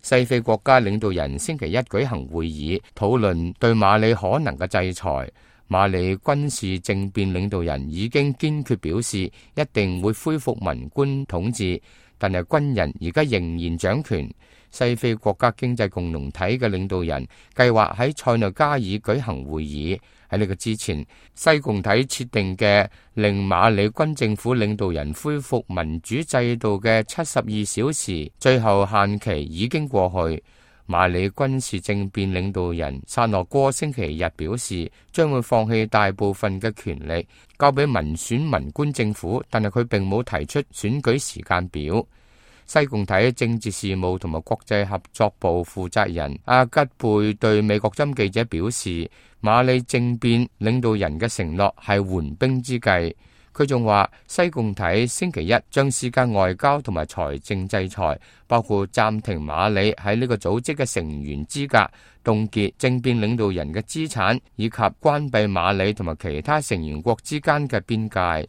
西非國家領導人星期一舉行會議，討論對馬里可能嘅制裁。馬里軍事政變領導人已經堅決表示，一定會恢復文官統治，但係軍人而家仍然掌權。西非國家經濟共同體嘅領導人計劃喺塞內加爾舉行會議。喺呢個之前，西共體設定嘅令馬里軍政府領導人恢復民主制度嘅72小時最後限期已經過去。馬里軍事政變領導人薩諾戈星期日表示，將會放棄大部分嘅權力，交俾民選文官政府，但係佢並冇提出選舉時間表。西共體政治事務同埋國際合作部負責人阿吉貝對美國針記者表示，馬里政變領導人嘅承諾係緩兵之計。佢仲話，西共體星期一將施加外交同埋財政制裁，包括暫停馬里喺呢個組織嘅成員資格、凍結政變領導人嘅資產，以及關閉馬里同埋其他成員國之間嘅邊界。